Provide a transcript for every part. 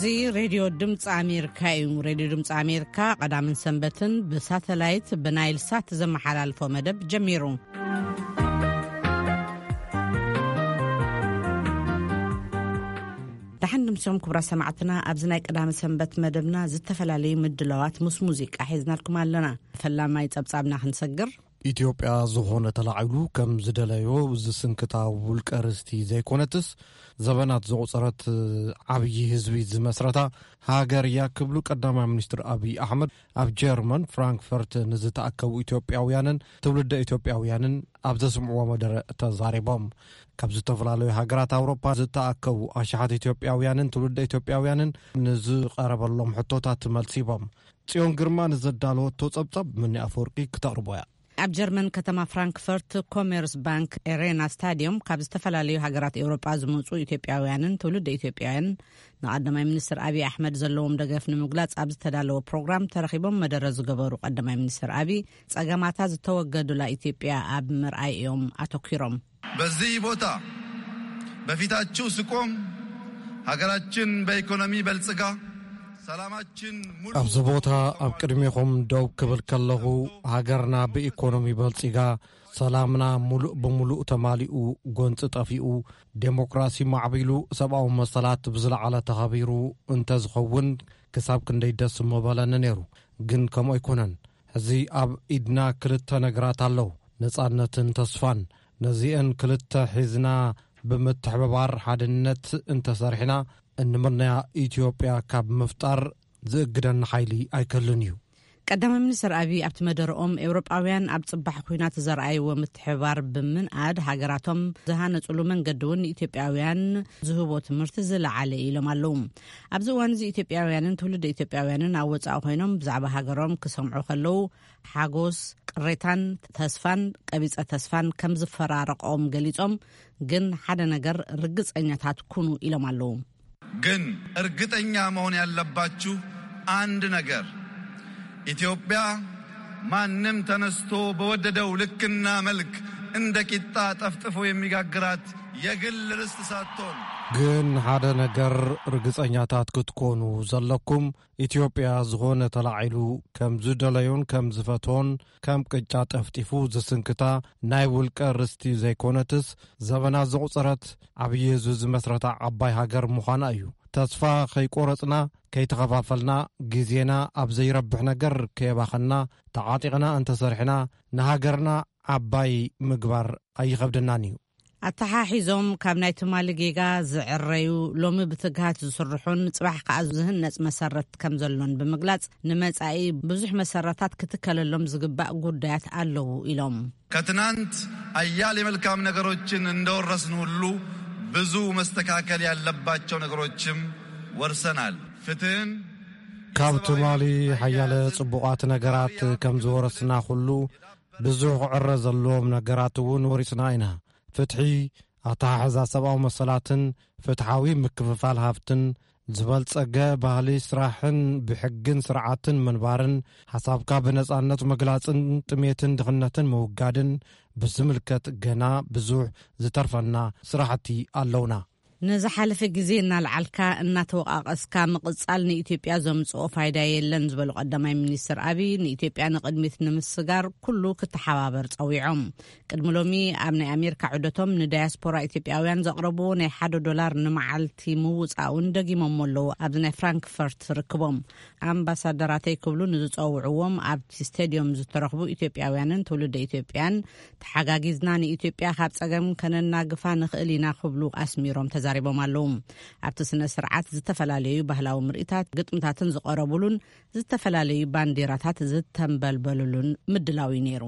እዚ ሬድዮ ድምፂ ኣሜሪካ እዩ። ሬድዮ ድምፂ ኣሜሪካ ቀዳምን ሰንበትን ብሳተላይት ብናይል ሳት ዘመሓላልፎ መደብ ጀሚሩ። ደሓን ድምሲኦም ክቡራት ሰማዕትና፣ ኣብዚ ናይ ቀዳሚ ሰንበት መደብና ዝተፈላለዩ ምድላዋት ምስ ሙዚቃ ሒዝናልኩም ኣለና። ፈላማይ ጸብጻብና ክንሰግር። ኢትዮጵያ ዝኾነ ተላዒሉ ከም ዝደለዮ ዝስንክታ ውልቀ ርስቲ ዘይኮነትስ፣ ዘበናት ዘቑጸረት ዓብዪ ህዝቢ ዝመስረታ ሃገር እያ ክብሉ ቀዳማይ ሚኒስትር ኣብይ ኣሕመድ ኣብ ጀርመን ፍራንክፈርት ንዝተኣከቡ ኢትዮጵያውያንን ትውልደ ኢትዮጵያውያንን ኣብ ዘስምዕዎ መደረ ተዛሪቦም። ካብ ዝተፈላለዩ ሃገራት ኣውሮፓ ዝተኣከቡ ኣሽሓት ኢትዮጵያውያንን ትውልደ ኢትዮጵያውያንን ንዝቐረበሎም ሕቶታት መልሲቦም። ጽዮን ግርማ ንዘዳለወቶ ጸብጻብ ምኒ ኣፈወርቂ ክተቕርቦ እያ። ኣብ ጀርመን ከተማ ፍራንክፈርት ኮሜርስ ባንክ ኤሬና ስታዲየም ካብ ዝተፈላለዩ ሃገራት ኤውሮጳ ዝመጹ ኢትዮጵያውያንን ትውልደ ኢትዮጵያውያን ንቀዳማይ ሚኒስትር ኣብይ ኣሕመድ ዘለዎም ደገፍ ንምግላጽ ኣብ ዝተዳለወ ፕሮግራም ተረኺቦም መደረ ዝገበሩ ቀዳማይ ሚኒስትር ኣብይ፣ ጸገማታ ዝተወገዱላ ኢትዮጵያ ኣብ ምርኣይ እዮም ኣተኲሮም። በዚህ ቦታ በፊታችሁ ስቆም ሀገራችን በኢኮኖሚ በልጽጋ ሰላማችን ሙሉ ኣብዚ ቦታ ኣብ ቅድሜኹም ደው ክብል ከለኹ፣ ሃገርና ብኢኮኖሚ በልጺጋ፣ ሰላምና ሙሉእ ብሙሉእ ተማሊኡ፣ ጎንጺ ጠፊኡ፣ ዴሞክራሲ ማዕቢሉ፣ ሰብኣዊ መሰላት ብዝለዓለ ተኸቢሩ እንተዝኸውን ክሳብ ክንደይ ደስ ምበለኒ ነይሩ። ግን ከምኡ ኣይኮነን። ሕዚ ኣብ ኢድና ክልተ ነገራት ኣለዉ፣ ነጻነትን ተስፋን። ነዚአን ክልተ ሒዝና ብምትሕብባር ሓድነት እንተሰርሕና፣ እንምነያ ኢትዮጵያ ካብ ምፍጣር ዝእግደና ሓይሊ ኣይክህልን እዩ። ቀዳማይ ሚኒስትር ኣብይ ኣብቲ መደረኦም፣ ኤውሮጳውያን ኣብ ጽባሕ ኲናት ዘርኣይዎ ምትሕብባር ብምንኣድ፣ ሃገራቶም ዝሃነጹሉ መንገዲ እውን ንኢትዮጵያውያን ዝህቦ ትምህርቲ ዝለዓለ እዩ ኢሎም ኣለዉ። ኣብዚ እዋን እዚ ኢትዮጵያውያንን ትውልደ ኢትዮጵያውያንን ኣብ ወጻኢ ኮይኖም ብዛዕባ ሃገሮም ክሰምዑ ከለዉ፣ ሓጎስ፣ ቅሬታን ተስፋን፣ ቀቢጸ ተስፋን ከም ዝፈራረቆም ገሊጾም፣ ግን ሓደ ነገር ርግጸኛታት ኩኑ ኢሎም ኣለዉ። ግን እርግጠኛ መሆን ያለባችሁ አንድ ነገር፣ ኢትዮጵያ ማንም ተነስቶ በወደደው ልክና መልክ እንደ ቂጣ ጠፍጥፎ የሚጋግራት የግል ርስት ሳትሆን፣ ግን ሓደ ነገር ርግጸኛታት ክትኮኑ ዘለኩም፣ ኢትዮጵያ ዝኾነ ተላዒሉ ከም ዝደለዮን ከም ዝፈትዎን ከም ቅጫ ጠፍጢፉ ዝስንክታ ናይ ውልቀ ርስቲ ዘይኮነትስ፣ ዘበናት ዘቑጸረት ዓብዪ ህዝቢ ዝመስረታ ዓባይ ሃገር ምዃና እዩ። ተስፋ ከይቆረጽና፣ ከይተኸፋፈልና፣ ግዜና ኣብ ዘይረብሕ ነገር ከየባኸንና፣ ተዓጢቕና እንተሰርሕና፣ ንሃገርና ዓባይ ምግባር ኣይኸብደናን እዩ። ኣተሓሒዞም፣ ካብ ናይ ትማሊ ጌጋ ዝዕረዩ፣ ሎሚ ብትግሃት ዝስርሑን ጽባሕ ከኣ ዝህነጽ መሰረት ከም ዘሎን ብምግላጽ፣ ንመጻኢ ብዙሕ መሰረታት ክትከለሎም ዝግባእ ጉዳያት ኣለዉ ኢሎም። ከትናንት አያሌ መልካም ነገሮችን እንደወረስን ሁሉ ብዙ መስተካከል ያለባቸው ነገሮችም ወርሰናል። ፍትህን ካብ ትማሊ ሓያለ ጽቡቓት ነገራት ከም ዝወረስና ኩሉ፣ ብዙሕ ክዕረ ዘለዎም ነገራት እውን ወሪስና ኢና። ፍትሒ፣ ኣተሓሕዛ ሰብኣዊ መሰላትን ፍትሓዊ ምክፍፋል ሃብትን፣ ዝበልጸገ ባህሊ ስራሕን ብሕግን ስርዓትን ምንባርን፣ ሓሳብካ ብነጻነት ምግላጽን ጥሜትን ድኽነትን ምውጋድን ብዝምልከት ገና ብዙሕ ዝተርፈና ስራሕቲ ኣለውና። ንዝሓለፈ ግዜ እናልዓልካ እናተወቃቀስካ ምቕጻል ንኢትዮጵያ ዘምጽኦ ፋይዳ የለን ዝበሉ ቀዳማይ ሚኒስትር ኣብይ፣ ንኢትዮጵያ ንቕድሚት ንምስጋር ኩሉ ክተሓባበር ጸዊዖም። ቅድሚ ሎሚ ኣብ ናይ ኣሜሪካ ዑደቶም ንዳያስፖራ ኢትዮጵያውያን ዘቕረብዎ ናይ ሓደ ዶላር ንመዓልቲ ምውጻኡን ደጊሞሞ ኣለዉ። ኣብዚ ናይ ፍራንክፈርት ርክቦም ኣምባሳደራተይ ክብሉ ንዝጸውዕዎም ኣብቲ ስቴድዮም ዝተረኽቡ ኢትዮጵያውያንን ትውልደ ኢትዮጵያን፣ ተሓጋጊዝና ንኢትዮጵያ ካብ ጸገም ከነናግፋ ንኽእል ኢና ክብሉ ኣስሚሮም ተዛሪቦም ኣለዉ። ኣብቲ ስነ ስርዓት ዝተፈላለዩ ባህላዊ ምርኢታት፣ ግጥምታትን ዝቐረቡሉን ዝተፈላለዩ ባንዲራታት ዝተንበልበሉሉን ምድላው እዩ ነይሩ።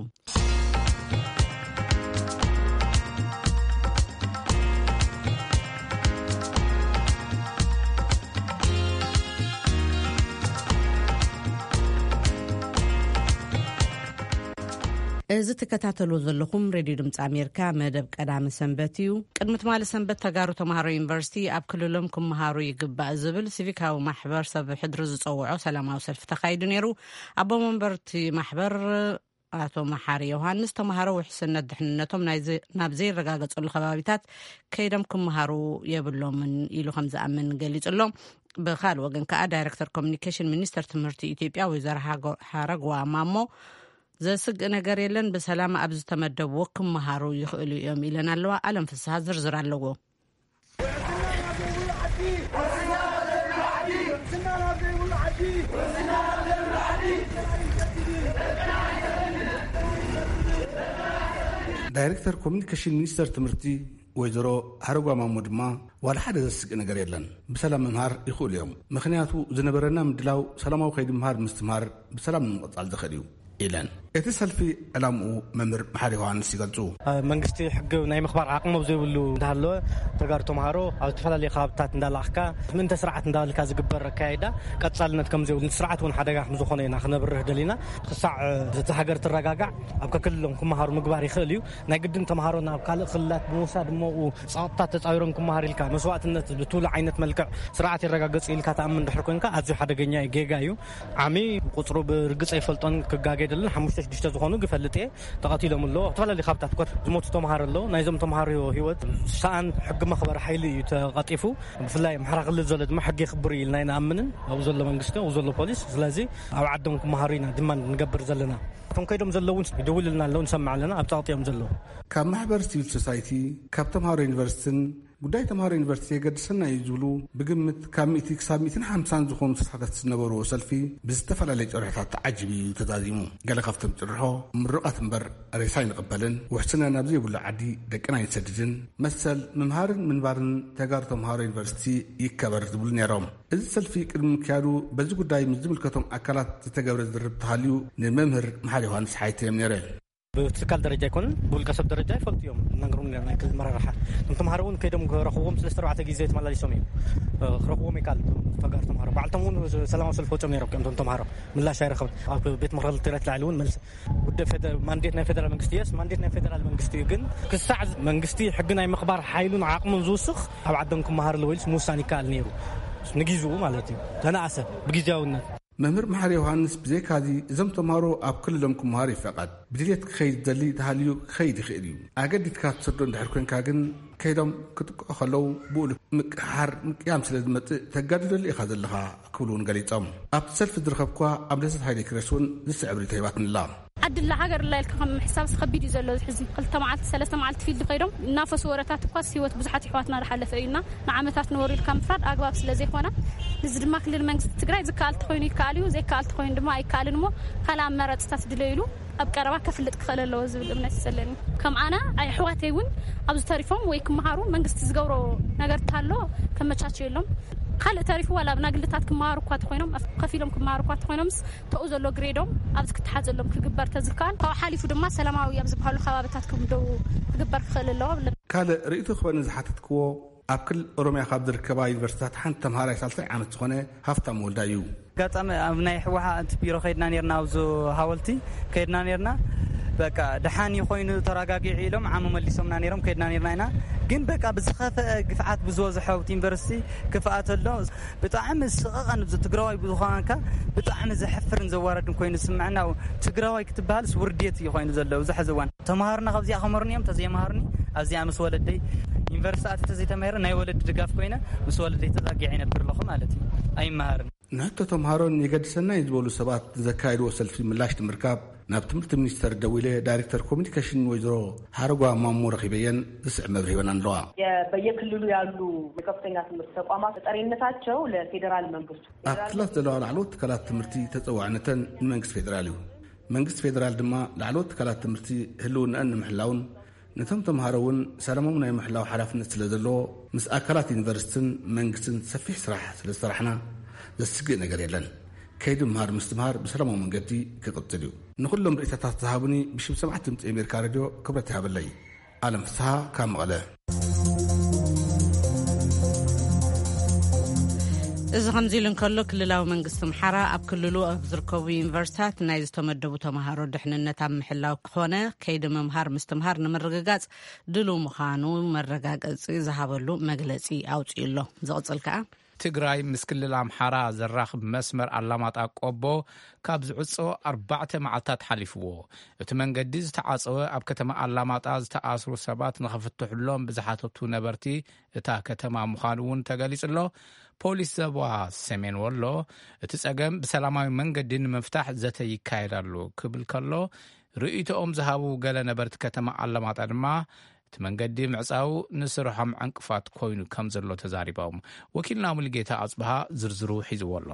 እዚ ትከታተሉ ዘለኹም ሬድዮ ድምፂ ኣሜሪካ መደብ ቀዳመ ሰንበት እዩ። ቅድሚ ትማሊ ሰንበት ተጋሩ ተምሃሮ ዩኒቨርሲቲ ኣብ ክልሎም ክመሃሩ ይግባእ ዝብል ሲቪካዊ ማሕበር ሰብ ሕድሪ ዝፀውዖ ሰላማዊ ሰልፊ ተኻይዱ ነይሩ። ኣቦ መንበርቲ ማሕበር ኣቶ መሓሪ ዮሃንስ፣ ተምሃሮ ውሕስነት ድሕንነቶም ናይ ዘ-፣ ናብ ዘይረጋገጸሉ ከባቢታት ከይዶም ክመሃሩ የብሎምን ኢሉ ከም ዝኣምን ገሊጹ ኣሎ። ብኻልእ ወገን ከኣ ዳይረክተር ኮሚኒኬሽን ሚኒስተር ትምህርቲ ኢትዮጵያ ወይዘሮ ሃረግዋ ማሞ ዘስግእ ነገር የለን፣ ብሰላም ኣብ ዝተመደብዎ ክመሃሩ ይኽእሉ እዮም ኢለን ኣለዋ። ኣለም ፍስሃ ዝርዝር ኣለዎ። ዳይሬክተር ኮሚኒኬሽን ሚኒስተር ትምህርቲ ወይዘሮ ሃረጓ ማሞ ድማ ዋላ ሓደ ዘስግእ ነገር የለን፣ ብሰላም ምምሃር ይኽእሉ እዮም። ምኽንያቱ ዝነበረና ምድላው ሰላማዊ ከይዲ ምምሃር ምስትምሃር ብሰላም ንምቕጻል ዝኽእል እዩ ኢለን። እቲ ሰልፊ ዕላምኡ መምህር መሓሪ ዮሃንስ ይገልጹ። መንግስቲ ሕጊ ናይ ምኽባር ዓቕሚ ኣብ ዘይብሉ እንዳሃለወ ተጋሩ ተምሃሮ ኣብ ዝተፈላለዩ ከባብታት እንዳላእኽካ ምእንተ ስርዓት እንዳበልካ ዝግበር ኣካያይዳ ቀጻልነት ከም ዘይብሉ፣ ስርዓት እውን ሓደጋ ከም ዝኾነ ኢና ክነብርህ ደሊና። ክሳዕ እቲ ሃገር ትረጋጋዕ ኣብ ከክልሎም ክመሃሩ ምግባር ይኽእል እዩ። ናይ ግድን ተምሃሮ ናብ ካልእ ክልላት ብምውሳድ እሞ ጸቕጥታት ተጻዊሮም ክመሃር ኢልካ መስዋእትነት ብትብሉ ዓይነት መልክዕ ስርዓት ይረጋገጽ ኢልካ ተኣምን ድሕር ኮንካ ኣዝዩ ሓደገኛ እዩ፣ ጌጋ እዩ። ዓሚ ቁጽሩ ብርግጽ ኣይፈልጦን፣ ክጋገ የደልን። ሓሙሽተ ሽዱሽተ ዝኾኑ ግፈልጥ እየ ተቐቲሎም ኣለዉ። ኣብ ዝተፈላለዩ ካብታት ኮት ዝሞቱ ተምሃሮ ኣለዉ። ናይዞም ተምሃሮ ህይወት ሰኣን ሕጊ መኽበሪ ሓይሊ እዩ ተቐጢፉ። ብፍላይ ኣምሓራ ክልል ዘሎ ድማ ሕጊ የኽብር እዩ ኢልና ኣይንኣምንን። ኣብኡ ዘሎ መንግስቲ፣ ኣብኡ ዘሎ ፖሊስ። ስለዚ ኣብ ዓዶም ክመሃሩ ኢና ድማ ንገብር ዘለና። እቶም ከይዶም ዘለዉ ይድውልልና ኣለዉ፣ ንሰምዕ ኣለና። ኣብ ጸቕጢ እዮም ዘለዉ። ካብ ማሕበር ሲቪል ሶሳይቲ፣ ካብ ተምሃሮ ዩኒቨርሲቲን ጉዳይ ተምሃሮ ዩኒቨርሲቲ የገድሰና እዩ ዝብሉ ብግምት ካብ ሚእቲ ክሳብ ሚእትን ሓምሳን ዝኾኑ ተሳተፍቲ ዝነበርዎ ሰልፊ ብዝተፈላለየ ጭርሖታት ተዓጂቡ እዩ ተዛዚሙ። ገለ ካብቶም ጭርሖ፣ ምሩቓት እምበር ሬሳ ኣይንቕበልን፣ ውሕስና ናብ ዘይብሉ ዓዲ ደቅና ኣይንሰድድን፣ መሰል ምምሃርን ምንባርን ተጋሩ ተምሃሮ ዩኒቨርሲቲ ይከበር ዝብሉ ነይሮም። እዚ ሰልፊ ቅድሚ ምክያዱ በዚ ጉዳይ ምስ ዝምልከቶም ኣካላት ዝተገብረ ዝርርብ ተሃልዩ ንመምህር መሓሪ ዮሃንስ ሓይተ እዮም ነይረ። ብትካል ደረጃ ኣይኮነን፣ ብውልቀ ሰብ ደረጃ ይፈልጡ እዮም። እናንገሩን ናይ ክልል መራርሓ እቶም ተምሃሮ እውን ከይዶም ክረኽብዎም ሰለስተ ኣርባዕተ ግዜ ተመላሊሶም እዮም። እ፣ ክረኽብዎም ይከኣል። ተጋሩ ተምሃሮ ባዕልቶም እውን ሰላማዊ ሰልፊ ወፂኦም ነይሮም። ከምቶም ተምሃሮ ምላሽ ኣይረኸብን። ኣብ ቤት ምኽሪ ትግራይ ትላዕሊ እውን መልስ ጉዳይ ፌደ-፣ ማንዴት ናይ ፌደራል መንግስቲ እየስ፣ ማንዴት ናይ ፌደራል መንግስቲ እዩ። ግን ክሳዕ መንግስቲ ሕጊ ናይ ምኽባር ሓይሉን ዓቕሙን ዝውስኽ ኣብ ዓዶም ክመሃር ኣለዎ ኢልስ ምውሳን ይከኣል ነይሩ። ንጊዜኡ ማለት እዩ። ተነኣሰ ብግዜያውነት። መምህር መሓሪ ዮሃንስ ብዘይካዚ እዞም ተምሃሮ ኣብ ክልሎም ክመሃሩ ይፈቐድ። ብድልየት ክኸይድ ዝደሊ ተሃልዩ ክኸይድ ይኽእል እዩ። ኣገዲድካ ትሰዶ እንድሕር ኮንካ ግን ከይዶም ክጥቅዑ ከለዉ ብኡ ምቅሓር ምቅያም ስለ ዝመጽእ ተጋድደሉ ኢኻ ዘለኻ ክብሉ እውን ገሊጾም። ኣብቲ ሰልፊ ዝረኸብኳ ኣብ ደሰት ሃይለ ክረስ እውን ዝስዕብ ርእይቶ ሂባትንላ። ዓድላ ሃገር ላ ኢልካ ከም ምሕሳብስ ከቢድ እዩ ዘሎ። እዚ ሕዚ ክልተ መዓልቲ ሰለስተ መዓልቲ ፊልድ ከይዶም እናፈሱ ወረታት እኳስ ህይወት ብዙሓት ይሕዋትና ዝሓለፈ እዩና ንዓመታት ነበሩ ኢልካ ምፍራድ ኣግባብ ስለ ዘይኮነ፣ እዚ ድማ ክልል መንግስቲ ትግራይ ዝከኣል ተኾይኑ ይከኣል እዩ፣ ዘይከኣል ተኾይኑ ድማ ኣይከኣልን እሞ ካልእ ኣማራፅታት ድለይሉ ኣብ ቀረባ ከፍልጥ ክኽእል ኣለዎ ዝብል እምነት እዩ ዘለኒ። ከም ኣነ ኣሕዋተይ እውን ኣብዚ ተሪፎም ወይ ክመሃሩ መንግስቲ ዝገብሮ ነገር እንተሃሎ ከመቻቸየሎም። ካልእ ተሪፉ ዋላ ብናግልታት ክመሃሩ እኳ ተኾይኖም፣ ከፊሎም ክመሃሩ እኳ ተኾይኖምስ ተኡ ዘሎ ግሬዶም ኣብዚ ክተሓዘሎም ክግበር ተዝከኣል፣ ካብኡ ሓሊፉ ድማ ሰላማዊ ኣብ ዝበሃሉ ከባብታት ክምደቡ ክግበር ክኽእል ኣለዎ። ካልእ ርእይቶ ክበኒ ዝሓተትክዎ ኣብ ክልል ኦሮምያ ካብ ዝርከባ ዩኒቨርሲታት ሓንቲ ተምሃራይ ሳልሳይ ዓመት ዝኾነ ሃፍታም ወልዳ እዩ። ኣጋጣሚ ኣብ ናይ ህወሓት ቢሮ ከይድና ነርና፣ ኣብዚ ሃወልቲ ከይድና ነርና። በቃ ደሓን ኮይኑ ተረጋጊዑ ኢሎም ዓሞ መሊሶምና ነይሮም፣ ከይድና ነርና ኢና። ግን በቃ ብዝኸፈአ ግፍዓት ብዝበዝሖ ኣብቲ ዩኒቨርሲቲ ክፍኣት ኣሎ። ብጣዕሚ ስቐቐን፣ እዚ ትግራዋይ ብዝኾንካ ብጣዕሚ ዘሕፍርን ዘዋረድን ኮይኑ ዝስምዐና። ትግራዋይ ክትበሃልስ ውርዴት እዩ ኮይኑ ዘሎ ኣብዚ ሕዚ እዋን። ተምሃርና ካብዚኣ ከመርኒ እዮም፣ ተዘይመሃርኒ ኣብዚኣ ምስ ወለደይ ዩኒቨርሲቲ ኣትየ ተዘይተማሂረ ናይ ወለዲ ድጋፍ ኮይነ ምስ ወለደይ ተዛጊዐ ይነብር ኣለኹ ማለት እዩ። ኣይመሃርን። ንሕቶ ተምሃሮን የገድሰና እዩ ዝበሉ ሰባት ንዘካየድዎ ሰልፊ ምላሽ ንምርካብ ናብ ትምህርቲ ሚኒስቴር ደዊለ ዳይሬክተር ኮሚኒኬሽን ወይዘሮ ሓረጓ ማሞ ረኺበየን ዝስዕብ መብርሂ ሂበን ኣለዋ። የ-፣ በየክልሉ ያሉ የከፍተኛ ትምህርት ተቋማት ተጠሪነታቸው ለፌዴራል መንግስቱ። ኣብ ክልላት ዘለዋ ላዕለዎት ትካላት ትምህርቲ ተፀዋዕነተን ንመንግስቲ ፌዴራል እዩ። መንግስቲ ፌዴራል ድማ ላዕለዎት ትካላት ትምህርቲ ህልውናኣን ንምሕላውን ነቶም ተምሃሮ እውን ሰላሞም ናይ ምሕላው ሓላፍነት ስለ ዘለዎ ምስ ኣካላት ዩኒቨርሲቲን መንግስትን ሰፊሕ ስራሕ ስለ ዝሰራሕና ዘስግእ ነገር የለን። ከይዲ ምምሃር ምስትምሃር ብሰላማዊ መንገዲ ክቕፅል እዩ። ንኹሎም ርእይቶታት ዝሃቡኒ ብሽም ሰማዕቲ ድምፂ ኣሜሪካ ሬድዮ ክብረት ይሃበለይ። ኣለም ፍስሃ ካብ መቐለ። እዚ ከምዚ ኢሉ እንከሎ፣ ክልላዊ መንግስቲ ኣምሓራ ኣብ ክልሉ ኣብ ዝርከቡ ዩኒቨርሲታት ናይ ዝተመደቡ ተምሃሮ ድሕንነት ኣብ ምሕላው ኮነ ከይዲ ምምሃር ምስትምሃር ንምርግጋጽ ድሉው ምዃኑ መረጋገጺ ዝሃበሉ መግለጺ ኣውጺኡ ኣሎ። ዝቕጽል ከኣ፣ ትግራይ ምስ ክልል ኣምሓራ ዘራኽብ መስመር ኣላማጣ ቆቦ ካብ ዝዕጾ ኣርባዕተ መዓልታት ሓሊፍዎ። እቲ መንገዲ ዝተዓጸወ ኣብ ከተማ ኣላማጣ ዝተኣስሩ ሰባት ንኽፍትሕሎም ብዝሓተቱ ነበርቲ እታ ከተማ ምዃኑ እውን ተገሊጹ ኣሎ። ፖሊስ ዞባ ሰሜን ወሎ እቲ ጸገም ብሰላማዊ መንገዲ ንምፍታሕ ዘተ ይካየድ ኣሎ ክብል ከሎ፣ ርእይቶኦም ዝሃቡ ገለ ነበርቲ ከተማ ኣለማጣ ድማ እቲ መንገዲ ምዕጻው ንስርሖም ዕንቅፋት ኮይኑ ከም ዘሎ ተዛሪቦም። ወኪልና ሙሉጌታ ኣጽብሃ ዝርዝሩ ሒዝዎ ኣሎ።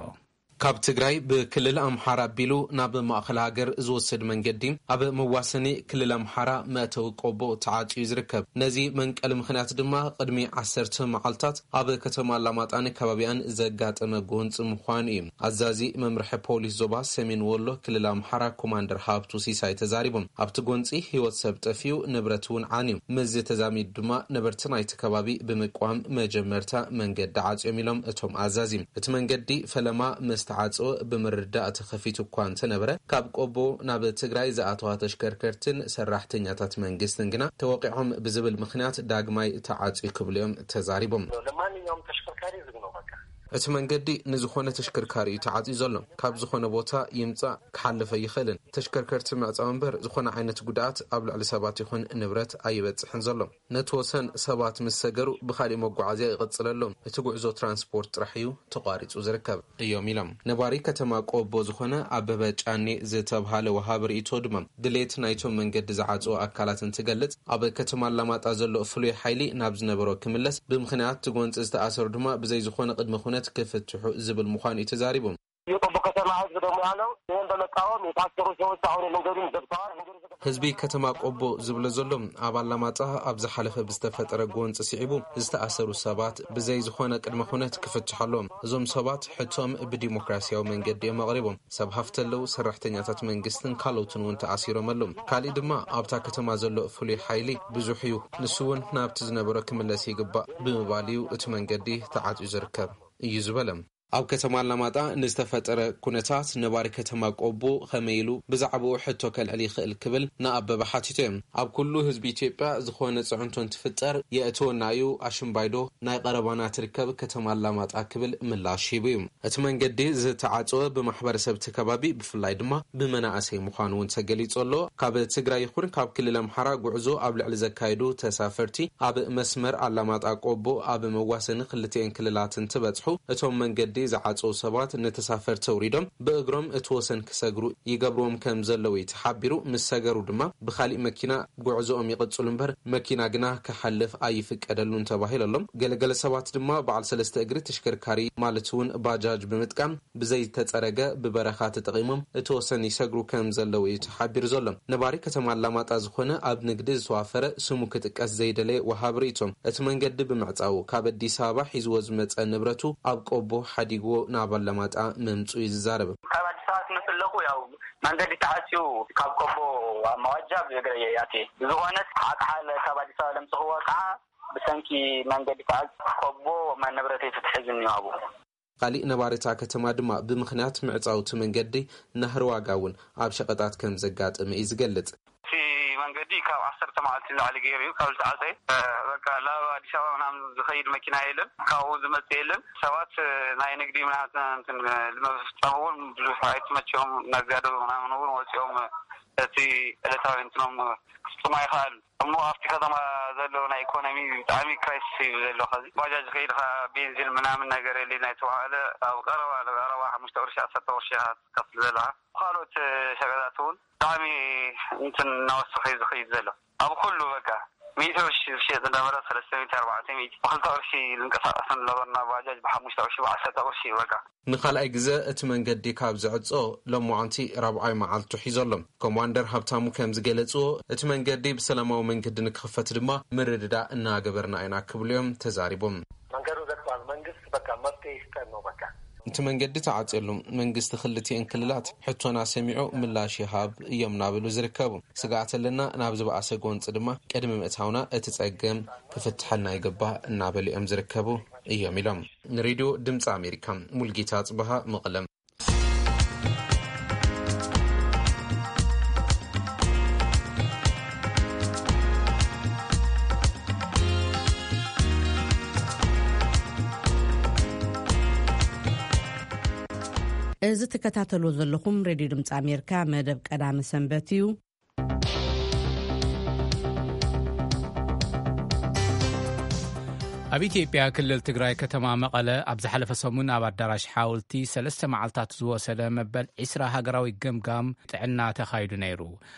ካብ ትግራይ ብክልል ኣምሓራ ኣቢሉ ናብ ማእኸል ሃገር ዝወስድ መንገዲ ኣብ መዋሰኒ ክልል ኣምሓራ መእተዊ ቆቦ ተዓጽዩ ዝርከብ። ነዚ መንቀሊ ምኽንያት ድማ ቅድሚ ዓሰርተ መዓልታት ኣብ ከተማ ኣላማጣን ከባቢኣን ዘጋጠመ ጎንፂ ምዃኑ እዩ ኣዛዚ መምርሒ ፖሊስ ዞባ ሰሜን ወሎ ክልል ኣምሓራ ኮማንደር ሃብቱ ሲሳይ ተዛሪቦም። ኣብቲ ጎንፂ ህይወት ሰብ ጠፊኡ፣ ንብረት እውን ዓንዩ። ምስዚ ተዛሚዱ ድማ ነበርቲ ናይቲ ከባቢ ብምቅዋም መጀመርታ መንገዲ ዓፅዮም ኢሎም እቶም ኣዛዚ። እቲ መንገዲ ፈለማ ምስ ተዓፀወ ብምርዳእ ተኸፊቱ እኳ እንተነበረ፣ ካብ ቆቦ ናብ ትግራይ ዝኣተዋ ተሽከርከርትን ሰራሕተኛታት መንግስትን ግና ተወቂዖም ብዝብል ምኽንያት ዳግማይ ተዓፅዩ ክብሉ እዮም ተዛሪቦም። ለማንኛውም ተሽከርካሪ ዝግ ነው በቃ። እቲ መንገዲ ንዝኾነ ተሽከርካሪ እዩ ተዓፅዩ ዘሎ። ካብ ዝኾነ ቦታ ይምፃእ ክሓልፍ ኣይኽእልን። ተሽከርከርቲ ምዕፃው እምበር ዝኾነ ዓይነት ጉድኣት ኣብ ልዕሊ ሰባት ይኹን ንብረት ኣይበፅሕን ዘሎ። ነቲ ወሰን ሰባት ምስ ሰገሩ ብኻሊእ መጓዓዝያ ይቕፅል ኣሎ። እቲ ጉዕዞ ትራንስፖርት ጥራሕ እዩ ተቋሪፁ ዝርከብ እዮም ኢሎም። ነባሪ ከተማ ቆቦ ዝኾነ ኣበበ ጫኔ ዝተብሃለ ወሃቢ ርእይቶ ድማ ድሌት ናይቶም መንገዲ ዝዓፅዎ ኣካላት እንትገልፅ፣ ኣብ ከተማ ኣላማጣ ዘሎ ፍሉይ ሓይሊ ናብ ዝነበሮ ክምለስ፣ ብምኽንያት እቲ ጎንፂ ዝተኣሰሩ ድማ ብዘይ ዝኾነ ቅድመ ኩነት ክፍትሑ ዝብል ምዃኑ እዩ ተዛሪቡ። የቆቦ ከተማ ህዝብ ደግሞ ያለው ይህን በመቃወም የታሰሩ ሰዎች አሁን መንገዱን ዘግተዋል። መንገዱ ዘግተዋል። ህዝቢ ከተማ ቆቦ ዝብሎ ዘሎ ኣብ ኣላማጣ ኣብ ዝሓለፈ ብዝተፈጠረ ጎንፂ ስዒቡ ዝተኣሰሩ ሰባት ብዘይ ዝኾነ ቅድመ ኩነት ክፍትሑ ኣለዎም። እዞም ሰባት ሕቶም ብዲሞክራሲያዊ መንገዲ እዮም ኣቕሪቦም። ሰብ ሃፍቲ ኣለዉ፣ ሰራሕተኛታት መንግስትን ካልኦትን እውን ተኣሲሮም ኣለዉ። ካሊእ ድማ ኣብታ ከተማ ዘሎ ፍሉይ ሓይሊ ብዙሕ እዩ። ንሱ እውን ናብቲ ዝነበሮ ክምለስ ይግባእ ብምባል እዩ እቲ መንገዲ ተዓፅዩ ዝርከብ እዩ ዝበለ። ኣብ ከተማ ኣላማጣ ንዝተፈጠረ ኩነታት ነባሪ ከተማ ቆቦ ከመይ ኢሉ ብዛዕባኡ ሕቶ ከልዕል ይኽእል ክብል ንኣበበ ሓቲቶ እዮም። ኣብ ኩሉ ህዝቢ ኢትዮጵያ ዝኾነ ጽዕንቶ እንትፍጠር የእትወና እዩ፣ ኣሽምባይዶ ናይ ቀረባና ትርከብ ከተማ ኣላማጣ ክብል ምላሽ ሂቡ እዩ። እቲ መንገዲ ዝተዓጸወ ብማሕበረሰብ እቲ ከባቢ ብፍላይ ድማ ብመናእሰይ ምዃኑ እውን ተገሊጹ ኣሎ። ካብ ትግራይ ይኹን ካብ ክልል ኣምሓራ ጉዕዞ ኣብ ልዕሊ ዘካየዱ ተሳፈርቲ ኣብ መስመር ኣላማጣ ቆቦ ኣብ መዋሰኒ ክልቲኤን ክልላት እንትበጽሑ እቶም መንገዲ ዝዓጸው ሰባት ንተሳፈርቲ ኣውሪዶም ብእግሮም እቲ ወሰን ክሰግሩ ይገብርዎም ከም ዘለዉ እዩ ተሓቢሩ። ምስ ሰገሩ ድማ ብኻሊእ መኪና ጉዕዞኦም ይቕጽሉ እምበር መኪና ግና ክሓልፍ ኣይፍቀደሉን ተባሂሉ ኣሎ። ገለገለ ሰባት ድማ በዓል ሰለስተ እግሪ ተሽከርካሪ ማለት እውን ባጃጅ ብምጥቃም ብዘይተጸረገ ብበረኻ ተጠቒሞም እቲ ወሰን ይሰግሩ ከም ዘለዉ እዩ ተሓቢሩ ዘሎ። ነባሪ ከተማ ኣላማጣ ዝኾነ ኣብ ንግዲ ዝተዋፈረ ስሙ ክጥቀስ ዘይደለየ ወሃብ ርእይቶ፣ እቲ መንገዲ ብምዕጻዉ ካብ ኣዲስ ኣበባ ሒዝዎ ዝመጸ ንብረቱ ኣብ ቆቦ ሓዲግዎ ናብ ኣላማጣ ምምጹ እዩ ዝዛረብ። ካብ ኣዲስ ኣበባ ክመጽእ ኣለኹ፣ ያው መንገዲ ተዓጽዩ ካብ ቆቦ ኣብ መዋጃ ብእግረይ እየ ኣትየ። ብዝኾነት ዓቕሓ ካብ ኣዲስ ኣበባ ለምጽኽዎ ከዓ ብሰንኪ መንገዲ ተዓጽዩ ቆቦ ንብረተይ ተታሒዙኒ ኣብኡ። ካሊእ ነባሪ እታ ከተማ ድማ ብምኽንያት ምዕጻው እቲ መንገዲ ናህሪ ዋጋ እውን ኣብ ሸቐጣት ከም ዘጋጠመ እዩ ዝገልጽ። እቲ መንገዲ ካብ ዓሰርተ መዓልቲ ንላዕሊ ገይሩ እዩ ካብ ዝተዓጸየ። በቃ ናብ ኣዲስ ኣበባ ምናምን ዝኸይድ መኪና የለን፣ ካብኡ ዝመጽእ የለን። ሰባት ናይ ንግዲ ምናምን እንትን ንምፍጻም እውን ብዙሕ ኣይተመቸዮም። ነጋዶ ምናምን እውን ወጺኦም እቲ ዕለታዊ እንትኖም ክፍጽሙ ኣይኸኣሉን። እሞ ኣብቲ ከተማ ዘሎ ናይ ኢኮኖሚ ብጣዕሚ ክራይሲስ እዩ ዘሎ። ከዚ ባጃጅ ከይድካ ቤንዚን ምናምን ነገር የለ ናይ ተባሃለ ኣብ ቀረባ፣ ኣብ ቀረባ ሓሙሽተ ቅርሺ፣ ዓሰርተ ቅርሺ ኢኻ ትከፍል ዘለኻ። ካልኦት ሸቀጣት እውን ብጣዕሚ እንትን እናወሰኸ እዩ ዝኸይድ ዘሎ። ኣብ ኩሉ በቃ ሚእቲ ቅርሺ ዝሸጥ ዝነበረ ሰለስተ ሚእቲ፣ ኣርባዕተ ሚእቲ፣ ብክልተ ቅርሺ ዝንቀሳቀስ ዝነበርና ባጃጅ ብሓሙሽተ ቅርሺ፣ ብዓሰርተ ቅርሺ እዩ በቃ። ንኻልኣይ ግዘ እቲ መንገዲ ካብ ዝዕጾ ሎማዓንቲ ራብዓይ መዓልቱ ሒዞ ኣሎ። ኮማንደር ሃብታሙ ከም ዝገለጽዎ፣ እቲ መንገዲ ብሰላማዊ መንገዲ ንክኽፈት ድማ ምርድዳእ እናገበርና ኢና ክብሉ እዮም ተዛሪቦም። መንገዱ ዘግቷል። መንግስት በቃ መፍትሄ ይስጠን ነው በቃ። እቲ መንገዲ ተዓጽየሉ፣ መንግስቲ ክልቲኤን ክልላት ሕቶና ሰሚዑ ምላሽ ይሃብ እዮም እናበሉ ዝርከቡ። ስግኣት ኣለና፣ ናብ ዝበኣሰ ጎንፂ ድማ ቅድሚ ምእታውና እቲ ጸገም ክፍትሐልና ይግባእ እናበሉ እዮም ዝርከቡ እዮም ኢሎም። ንሬድዮ ድምፂ ኣሜሪካ፣ ሙልጌታ ጽበሃ፣ መቐለ። እዚ ትከታተልዎ ዘለኹም ሬድዮ ድምፂ ኣሜሪካ መደብ ቀዳመ ሰንበት እዩ። ኣብ ኢትዮጵያ ክልል ትግራይ ከተማ መቐለ ኣብ ዝሓለፈ ሰሙን ኣብ ኣዳራሽ ሓወልቲ ሰለስተ መዓልታት ዝወሰደ መበል ዒስራ ሃገራዊ ገምጋም ጥዕና ተኻይዱ ነይሩ።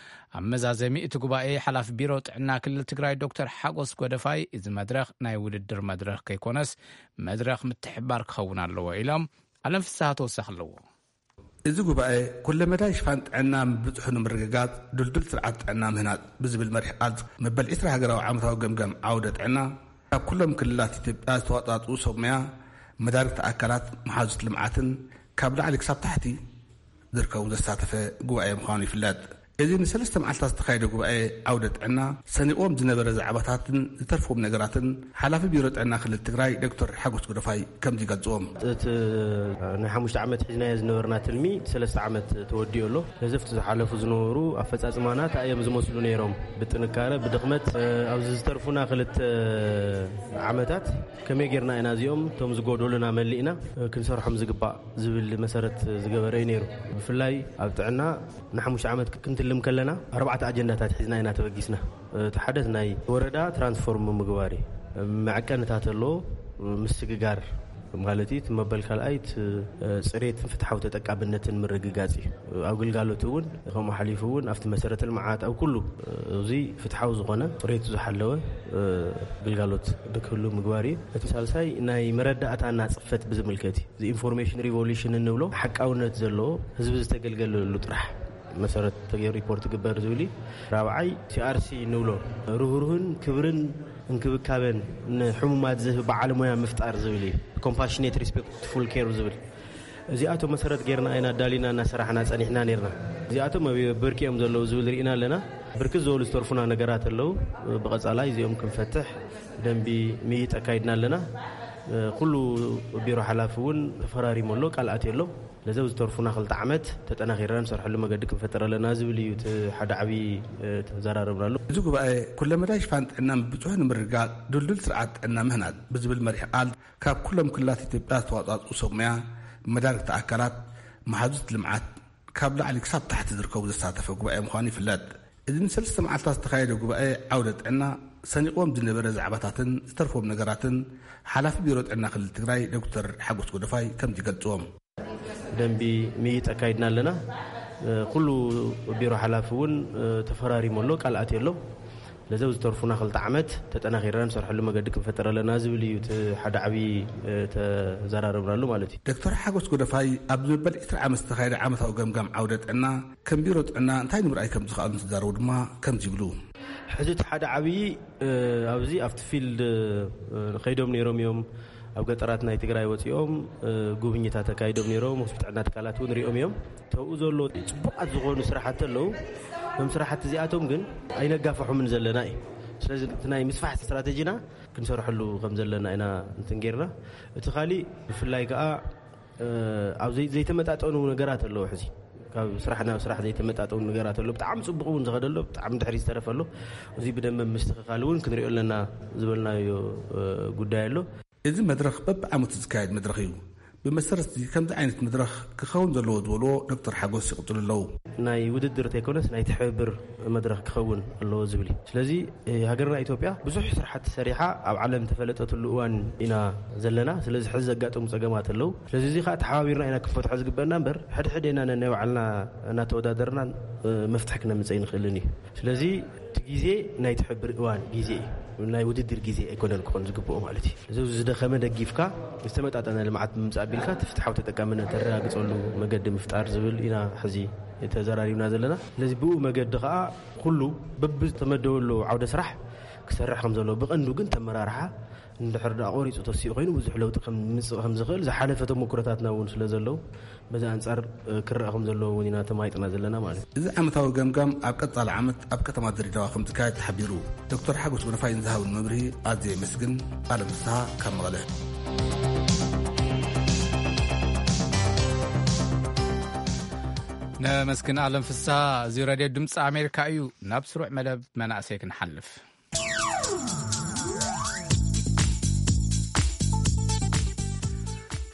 ኣብ መዛዘሚ እቲ ጉባኤ ሓላፊ ቢሮ ጥዕና ክልል ትግራይ ዶክተር ሓጎስ ጎደፋይ፣ እዚ መድረኽ ናይ ውድድር መድረኽ ከይኮነስ መድረኽ ምትሕባር ክኸውን ኣለዎ ኢሎም። ኣለም ፍስሃ ተወሳኺ ኣለዎ። እዚ ጉባኤ ኩለመዳይ ሽፋን ጥዕና ምብፅሑ ንምርግጋፅ ድልዱል ስርዓት ጥዕና ምህናፅ ብዝብል መሪሕ ቃል መበል ዒስራ ሃገራዊ ዓመታዊ ገምጋም ዓውደ ጥዕና ካብ ኩሎም ክልላት ኢትዮጵያ ዝተዋፃፅኡ ሰብ ሞያ፣ መዳርግቲ ኣካላት፣ መሓዙት ልምዓትን ካብ ላዕሊ ክሳብ ታሕቲ ዝርከቡ ዘሳተፈ ጉባኤ ምዃኑ ይፍለጥ። እዚ ንሰለስተ መዓልታት ዝተኻየደ ጉባኤ ዓውደ ጥዕና ሰኒቕዎም ዝነበረ ዛዕባታትን ዝተርፍዎም ነገራትን ሓላፊ ቢሮ ጥዕና ክልል ትግራይ ዶክተር ሓጎስ ጎደፋይ ከምዚ ይገልፅዎም። እቲ ናይ ሓሙሽተ ዓመት ሒዝናዮ ዝነበርና ትልሚ ሰለስተ ዓመት ተወዲኡ ኣሎ። ነዚ ኣብቲ ዝሓለፉ ዝነበሩ ኣፈፃፅማና እንታይ እዮም ዝመስሉ ነይሮም? ብጥንካረ፣ ብድኽመት፣ እ፣ ኣብዚ ዝተርፉና ክልተ ዓመታት ከመይ ጌርና ኢና እዚኦም እቶም ዝጎደሉና መሊእና፣ እ፣ ክንሰርሖም ዝግባእ ዝብል መሰረት ዝገበረ እዩ ነይሩ። ብፍላይ ኣብ ጥዕና ንሓሙሽተ ዓመት ክንትልም ከለና ኣርባዕተ ኣጀንዳታት ሒዝና ኢና ተበጊስና። እቲ ሓደ ናይ ወረዳ ትራንስፎርም ምግባር እዩ። መዐቀንታት ኣሎ፣ ምስግጋር ማለት እዩ። እቲ መበል ካልኣይ እቲ፣ እ፣ ፅሬትን ፍትሓዊ ተጠቃምነትን ምርግጋፅ እዩ። ኣብ ግልጋሎት እውን ከምኡ ሓሊፉ እውን ኣብቲ መሰረተ ልምዓት ኣብ ኩሉ፣ እ፣ እዚ ፍትሓዊ ዝኾነ ፅሬቱ ዝሓለወ፣ እ፣ ግልጋሎት ንክህሉ ምግባር እዩ። እቲ ሳልሳይ ናይ መረዳእታና ፅፈት ብዝምልከት እዩ። እዚ ኢንፎርሜሽን ሪቮሉሽን እንብሎ ሓቃውነት ዘለዎ ህዝቢ ዝተገልገለሉ ጥራሕ መሰረት ተገይሩ ሪፖርት ግበር ዝብል እዩ። ራብዓይ ሲኣርሲ እንብሎ ርህሩህን ክብርን እንክብካበን ንሕሙማት ዝህብ በዓል ሞያ ምፍጣር ዝብል እዩ። ኮምፓሽኔት ሪስፔክትፉል ኬር ዝብል እዚኣቶም መሰረት ጌርና ኢና ኣዳሊና እናሰራሕና ጸኒሕና ኔርና። እዚኣቶም ኣብ ብርኪ እዮም ዘለዉ ዝብል ርኢና ኣለና። ብርክት ዝበሉ ዝተርፉና ነገራት ኣለዉ። ብቐጻላይ እዚኦም ክንፈትሕ ደንቢ ምይይጥ ኣካይድና ኣለና። ኩሉ ቢሮ ሓላፊ እውን ተፈራሪሙ ኣሎ፣ ቃል ኣትዩ ኣሎ። ለዚ ኣብ ዝተርፉና ክልተ ዓመት ተጠናኺርና ንሰርሐሉ መገዲ ክንፈጥር ኣለና ዝብል እዩ እቲ ሓደ ዓብዪ፣ እ፣ ተዘራረብናሉ። እዚ ጉባኤ ኩለመዳይ ሽፋን ጥዕና ብብዝሑ ንምርግጋጽ ድልዱል ስርዓት ጥዕና ምህናጽ ብዝብል መሪሕ ቃል ካብ ኩሎም ክልላት ኢትዮጵያ ዝተዋጻጽኡ ሰብ ሞያ፣ መዳርግቲ ኣካላት፣ መሓዙት ልምዓት ካብ ላዕሊ ክሳብ ታሕቲ ዝርከቡ ዘሳተፈ ጉባኤ ምዃኑ ይፍለጥ። እዚ ንሰለስተ መዓልታት ዝተኻየደ ጉባኤ ዓውደ ጥዕና ሰኒቕዎም ዝነበረ ዛዕባታትን ዝተርፎም ነገራትን ሓላፊ ቢሮ ጥዕና ክልል ትግራይ ዶክተር ሓጎስ ጎደፋይ ከምዚ ይገልጽዎም። ደንቢ ምይይጥ ኣካይድና ኣለና። እ፣ ኩሉ ቢሮ ሓላፊ እውን፣ እ፣ ተፈራሪሙ ኣሎ፣ ቃል ኣትዩ ኣሎ። ለዚ ኣብ ዝተርፉና ክልተ ዓመት ተጠናኺርና ንሰርሐሉ መገዲ ክንፈጥር ኣለና ዝብል እዩ እቲ ሓደ ዓብዪ፣ እ፣ ተዘራረብናሉ ማለት እዩ። ዶክተር ሓጎስ ጎደፋይ ኣብ ዝመበል ዒስራ ዓመት ዝተኻየደ ዓመታዊ ገምጋም ዓውደ ጥዕና ከም ቢሮ ጥዕና እንታይ ንምርኣይ ከም ዝኸኣሉ እንትዛረቡ ድማ ከምዚ ይብሉ። ሕዚ እቲ ሓደ ዓብዪ፣ እ፣ ኣብዚ ኣብቲ ፊልድ፣ እ፣ ከይዶም ነይሮም እዮም። ኣብ ገጠራት ናይ ትግራይ ወፂኦም፣ እ፣ ጉብኝታት ኣካይዶም ነይሮም። ሆስፒታል ጥዕና ትካላት እውን ሪኦም እዮም። ተብኡ ዘሎ ፅቡቃት ዝኾኑ ስራሕቲ ኣለዉ። እዞም ስራሕቲ እዚኣቶም ግን ኣይነጋፍሖምን ዘለና እዩ። ስለዚ እቲ ናይ ምስፋሕ ስትራቴጂና ክንሰርሐሉ ከም ዘለና ኢና እንትን ጌርና። እቲ ካሊእ ብፍላይ ከዓ፣ እ፣ ኣብ ዘይ-፣ ዘይተመጣጠኑ ነገራት ኣለዉ። ሕዚ ካብ ስራሕ ናብ ስራሕ ዘይተመጣጠኑ ነገራት ኣለዉ። ብጣዕሚ ፅቡቅ እውን ዝኸደ ኣሎ፣ ብጣዕሚ ድሕሪ ዝተረፈ ኣሎ። እዚ ብደንበ ምስትኽኻል እውን ክንሪኦ ኣለና ዝበልናዮ፣ እ፣ ጉዳይ ኣሎ። እዚ መድረኽ በብዓመቱ ዝካየድ መድረኽ እዩ። ብመሰረት እዚ ከምዚ ዓይነት መድረኽ ክኸውን ዘለዎ ዝበልዎ ዶክተር ሓጎስ ይቕጽሉ ኣለዉ። ናይ ውድድር ተይኮነስ ናይ ትሕብብር መድረኽ ክኸውን ኣለዎ ዝብል እዩ። ስለዚ፣ እ፣ ሃገርና ኢትዮጵያ ብዙሕ ስራሕቲ ሰሪሓ ኣብ ዓለም ተፈለጠትሉ እዋን ኢና ዘለና። ስለዚ ሕዚ ዘጋጠሙ ጸገማት ኣለዉ። ስለዚ እዚ ኸኣ ተሓባቢርና ኢና ክንፈትሖ ዝግበአና እምበር፣ ሕድሕድ ኢና ነናይ ባዕልና እናተወዳደርና፣ እ፣ መፍትሒ ክነምጽእ ኣይንኽእልን እዩ። ስለዚ እቲ ግዜ ናይ ትሕብር እዋን ግዜ እዩ። ናይ ውድድር ግዜ ኣይኮነን ክኾን ዝግብኦ ማለት እዩ። እዚ ዝደኸመ ደጊፍካ ዝተመጣጠነ ልምዓት ብምምፃእ ኣቢልካ እቲ ፍትሓዊ ተጠቃምነት ተረጋግፀሉ መገዲ ምፍጣር ዝብል ኢና ሕዚ ተዘራሪብና ዘለና። ስለዚ ብኡ መገዲ ከዓ ኩሉ በብዝተመደበሉ ዓውደ ስራሕ ክሰርሕ ከም ዘለዎ፣ ብቐንዱ ግን ተመራርሓ እንድሕር ደኣ ቆሪፁ ተሲኡ ኮይኑ ብዙሕ ለውጢ ከም ምምፅእ ከም ዝኽእል ዝሓለፈ ተሞክሮታትና እውን ስለ ዘለዉ በዚ ኣንጻር፣ እ፣ ክረኣ ከም ዘለዎ እውን ኢና ተማይጥና ዘለና ማለት እዩ። እዚ ዓመታዊ ገምጋም ኣብ ቀጻሊ ዓመት ኣብ ከተማ ድሬዳዋ ከም ዝካየድ ተሓቢሩ። ዶክተር ሓጎስ ጎደፋይ ንዝሃብን መብርሂ ኣዝየ የመስግን። ኣለም ፍስሃ ካብ መቐለ። ነመስግን ኣለም ፍስሃ። እዚ ሬድዮ ድምፂ ኣሜሪካ እዩ። ናብ ስሩዕ መደብ መናእሰይ ክንሓልፍ።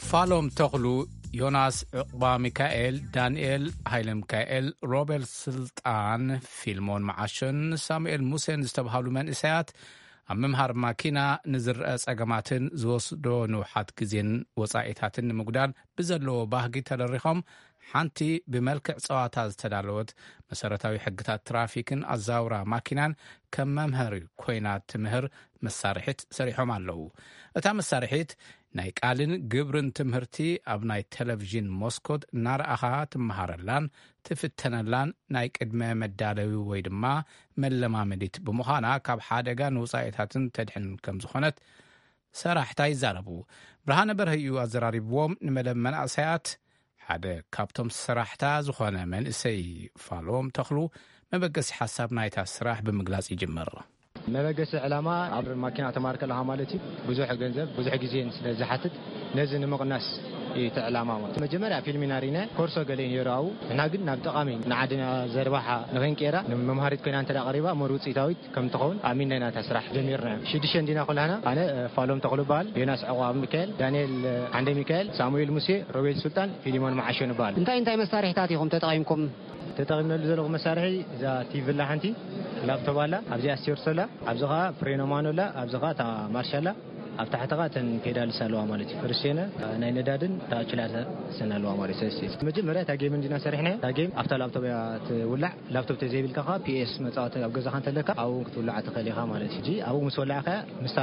ፋሎም ተኽሉ፣ ዮናስ ዕቑባ ሚካኤል፣ ዳንኤል ሃይለ ሚካኤል፣ ሮቤል ስልጣን፣ ፊልሞን መዓሾን ሳሙኤል ሙሴን ዝተብሃሉ መንእሰያት ኣብ ምምሃር ማኪና ንዝረአ ጸገማትን ዝወስዶ ንውሓት ግዜን ወጻኢታትን ንምጉዳል ብዘለዎ ባህጊ ተደሪኾም፣ ሓንቲ ብመልክዕ ጸዋታ ዝተዳለወት መሰረታዊ ሕግታት ትራፊክን ኣዛውራ ማኪናን ከም መምሃሪ ኮይና ትምህር መሳርሒት ሰሪሖም ኣለዉ። እታ መሳርሒት ናይ ቃልን ግብርን ትምህርቲ ኣብ ናይ ቴሌቪዥን መስኮት እናረኣኻ ትመሃረላን ትፍተነላን ናይ ቅድመ መዳለዊ ወይ ድማ መለማመዲት ብምዃና፣ ካብ ሓደጋ ንውጻኢታትን ተድሕን ከም ዝኾነት ሰራሕታ ይዛረቡ። ብርሃነ በርሀ እዩ ኣዘራሪብዎም። ንመደብ መናእሰያት ሓደ ካብቶም ሰራሕታ ዝኾነ መንእሰይ ፋሎም ተኽሉ፣ መበገሲ ሓሳብ ናይታ ስራሕ ብምግላጽ ይጅምር። መበገሲ ዕላማ ኣብ ማኪና ተማር ከለኻ ማለት እዩ፣ ብዙሕ ገንዘብ፣ ብዙሕ ግዜን ስለ ዝሓትት፣ ነዚ ንምቕናስ እዩ እቲ ዕላማ ማለት። መጀመርያ ፊልም ኢና ርኢና፣ ኮርሶ ገለ እዩ ነይሩ ኣብኡ። ንሕና ግን ናብ ጠቓሚ ንዓድና ዘርባሓ ንኽንቀይራ፣ ንመምሃሪት ኮይና እንተ ደኣ ቀሪባ፣ እሞ ውጽኢታዊት ከም ትኸውን ኣሚንና ኢና እታ ስራሕ ጀሚርና። ሽዱሽተ እንዲና ኩላህና፣ ኣነ ፋሎም ተኽሉ እበሃል፣ ዮናስ ዕቑብ ሚካኤል፣ ዳንኤል ዓንደ ሚካኤል፣ ሳሙኤል ሙሴ፣ ሮቤል ሱልጣን፣ ፊሊሞን መዓሾ ንበሃል። እንታይ እንታይ መሳርሒታት ኢኹም ተጠቒምኩም? ተጠቒምናሉ ዘለኹ መሳርሒ እዛ ቲቪ ኣላ ሓንቲ፣ ላፕቶፕ ኣላ፣ ኣብዚኣ ስቴርስ ኣላ፣ ኣብዚ ኸኣ ፍሬኖ ማኖ ኣላ፣ ኣብዚ ኸኣ እታ ማርሽ ኣላ፣ ኣብ ታሕቲ ኸኣ እተን ፔዳልስ ኣለዋ ማለት እዩ። ፍርሴነ፣ ናይ ነዳድን እታ ኣክስላተርን ኣለዋ ማለት እዩ። ስለዚ መጀመርያ እታ ጌም እንዲና ሰሪሕናያ። እታ ጌም ኣብታ ላፕቶፕ እያ ትውላዕ። ላፕቶፕ ተዘይብልካ ኸኣ ፒኤስ መጻወቲ ኣብ ገዛኻ እንተለካ ኣብኡ እውን ክትውልዓ ትኽእል ኢኻ ማለት እዩ። ሕጂ ኣብኡ ምስ ወላዕካያ ምስታ